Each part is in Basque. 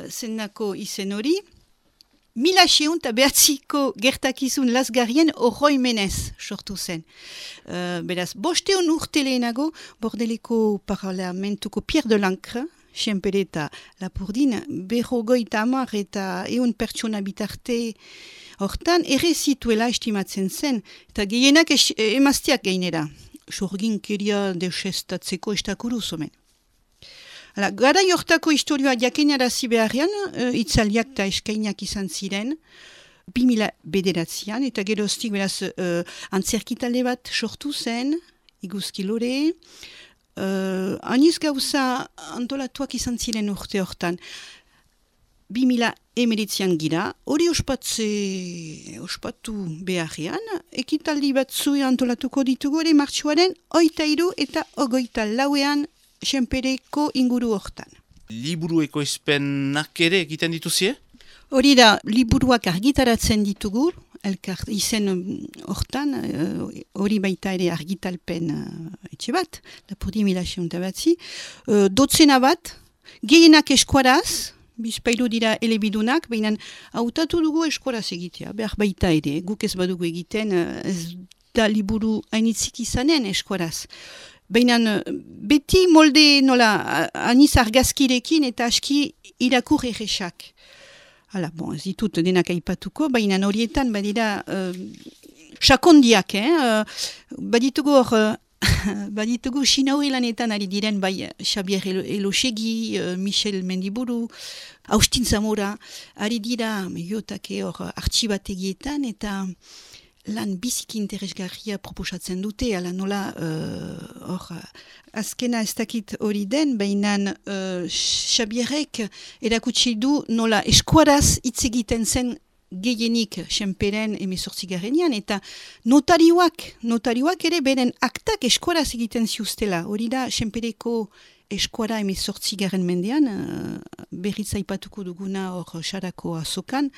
zendako izen hori, 1909ko gertakizun lazgarrien oroimenez sortu zen. Beraz, 500 urte lehenago, Bordeleko parlamentuko Pierre de Lancre, Senpere eta Lapurdin, 50 eta 100 pertsona bitarte hortan, ere zituela estimatzen zen, eta gehienak emazteak gainera. Sorginkeria deusestatzeko estakuruz omen. Garai hortako historioa jakinarazi beharrean, itzaliak eta eskainak izan ziren, 2000 bederatzean, eta geroztik beraz antzerkitalde bat sortu zen, iguzki lore, aniz gauza antolatuak izan ziren urte hortan. 2019an gira, hori ospatu beharrean, ekitaldi batzu antolatuko ditugu ere martxuaren 23 eta 24ean Senpereko inguru hortan. Liburu ekoizpenak ere egiten dituzie? Hori da, liburuak argitaratzen ditugu, izen hortan, hori baita ere argitalpen etxe bat, Lapurdi 1909, dotzena bat, gehienak eskuaraz, bizpailu dira elebidunak, baina hautatu dugu eskuaraz egitea, behar baita ere, guk ez badugu egiten, ez da liburu hainitzik izanen eskuaraz. Baina beti molde nola aniz argazkirekin eta aski irakur erresak. Hala, ez ditut denak aipatuko, baina horietan badira sakondiak, baditugu hor, baditugu Sinauri lanetan ari diren, bai Xabier Elosegi, Michel Mendiburu, Austin Zamora, ari dira mediotake hor artxibategietan eta lan biziki interesgarria proposatzen dute, ala nola azkena ez dakit hori den, baina Xabierrek erakutsi du nola eskuaraz hitz egiten zen gehienik Senperen 18garrenean, eta notarioak ere beren aktak eskuaraz egiten ziustela. Hori da Senpereko eskuara 18garren mendean, berriz aipatuko duguna hor Sarako azokan,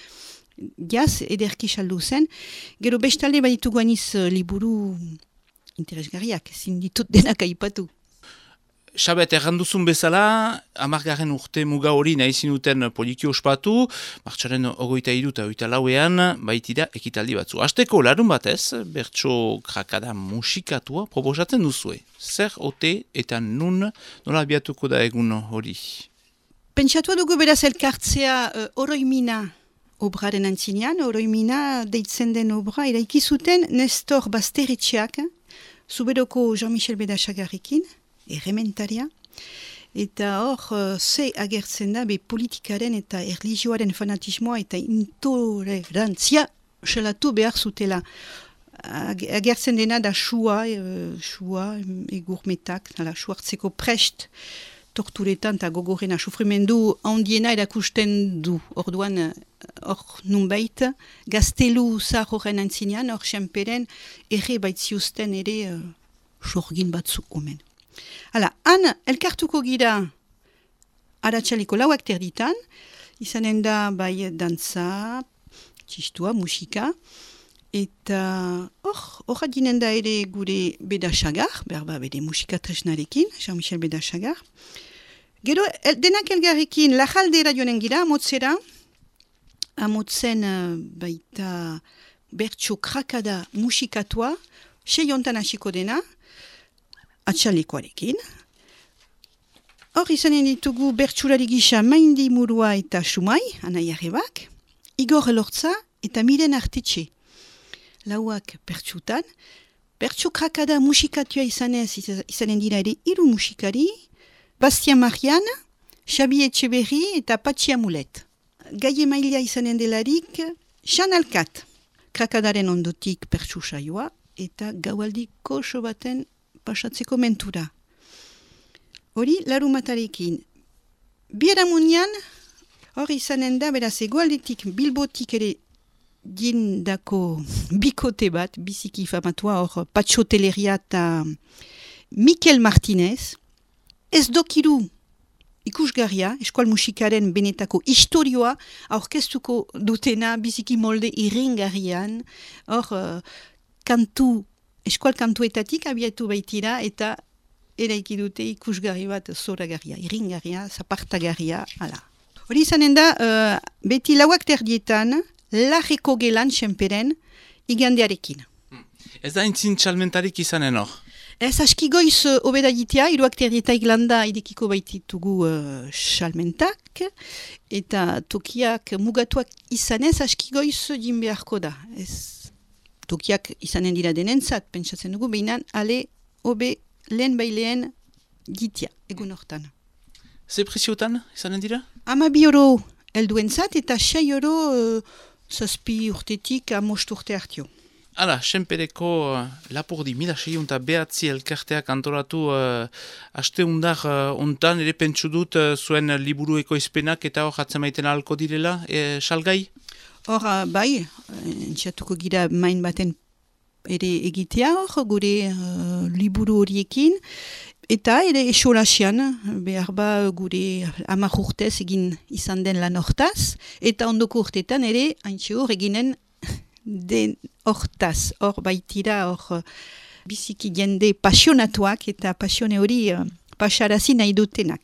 jaz, ederki saldu zen. Gero bestalde baditugu aniz liburu interesgarriak, ezin ditut denak aipatu. Xabet, erranduzun bezala, 10. urte muga hori nahi zinuten poliki ospatu, martxaren 23 eta 24ean baitira ekitaldi batzu. Hasteko larun batez, bertso krakada musikatua proposatzen duzue. Zer ote eta nun nola abiatuko da egun hori? Pentsatua dugu beraz elkartzea oroimina obraren antzinean, oroimina deitzen den obra, eraiki zuten Nestor Basteretxeak, Zuberoko Jean-Michel Bedasagarrekin, errementaria, eta hor ze agertzen da be politikaren eta erlijioaren fanatismoa eta intolerantzia salatu behar zutela. Agertzen dena da sua egurmetak, suartzeko prest, torturetan eta gogorena sufrimendu handiena erakusten du. Orduan, hor nunbait, gaztelu zahar horren antzinean, hor Senperen erre baitziusten ere sorgin batzu omen. Hala, han elkartuko gira aratsaleko 4 terditan, izanen da bai dantza, txistua, musika, eta hor adinen da ere gure Bedasagar, berba bere musika tresnarekin, Jean-Michel Bedasagar. Gero, denak elgarrekin lajaldera joanen gira, amotzen baita bertso krakada musikatua, 6 hontan hasiko dena, atxalekoarekin. Hor izanen ditugu bertsulari gisa Maindi Murua eta Sumai, Anai Arrebak, Igor Elortza eta Miren Artetxe. Lauak bertsutan, bertsu krakada musikatua izanen dira ere 3 musikari, Bastian Marian, Xabi Etxeberri eta Patxi Amulet. Gai emailea izanen delarik, Xan Alkat, krakadaren ondotik bertsu saioa eta gaualdiko so baten pasatzeko mentura. Hori, larumatarekin. Biharamunean, hor izanen da, beraz, egoaldetik Bilbotik ere dindako bikote bat, biziki famatua, hor Patxoteleria eta Mikel Martinez, ez dokiru ikusgarria, eskual musikaren benetako historioa, aurkeztuko dutena biziki molde irringarrian, hor eskual kantuetatik abiatu baitira, eta eraiki dute ikusgarri bat zoragarria, irringarria, zapartagarria, ala. Hori izanen da, beti lauak terdietan, lajeko gelan senperen igandearekin. Ez da intzin txalmentarik izanen hor? Ez aski goiz obeda jitea, iruak terdietaik landa idekiko baititugu salmentak, eta tokiak mugatuak izanez aski goiz jin beharko da. Ez tokiak izanen dira denentzat, pentsatzen dugu, behinan ale obe lehen baileen jitea, egun hortan. Ze preziotan izanen dira? 12 euro helduentzat eta 6 euro zazpi urtetik 5 urte hartio. Hala, senpereko lapurdi, 1609 elkarteak antolatu asteundar ontan, ere pentsu dut zuen liburu ekoizpenak eta hor jatzen maiten ahalko direla, salgai? Hor, bai, entxatuko gira main baten ere egitea hor, gure liburu horiekin, eta ere esolasian, behar ba gure 10 urtez egin izan den lan hortaz, eta ondoko urtetan ere, haintxe hor eginen den hortaz, hor baitira, hor biziki jende pasionatuak eta pasione hori pasarazi nahi dutenak.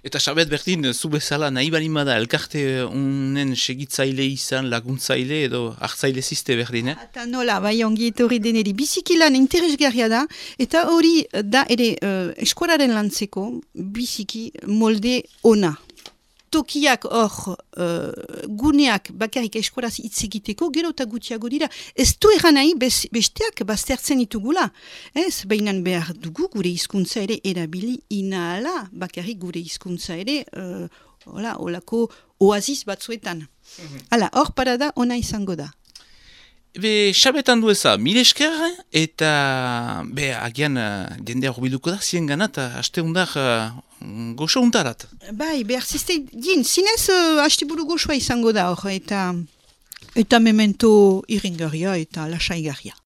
Eta Xabet berdin, zu bezala nahi balin bada elkarte unen segitzaile izan, laguntzaile edo hartzaile ziste berdin, Eta nola, bai ongi etorri deneri, biziki lan interesgarria da, eta hori da ere eskolaren lantzeko biziki molde ona. Tokiak hor, guneak bakarrik eskolaz hitz egiteko, gero eta gutxiago dira. Ez du egan nahi besteak baztertzen ditugula. Ez, behinan behar dugu gure hizkuntza ere erabili inahala, bakarrik gure hizkuntza ere, olako oaziz batzuetan. Hala, hor parada ona izango da. Be, Xabetan du eza, mil esker, eta agian jendea horbiluko da, zien gana, eta asteundar goxo untarat. Bai, behar ziste, zinez hasteburu goxoa izango da hor, eta memento iringarria eta lasaigarria.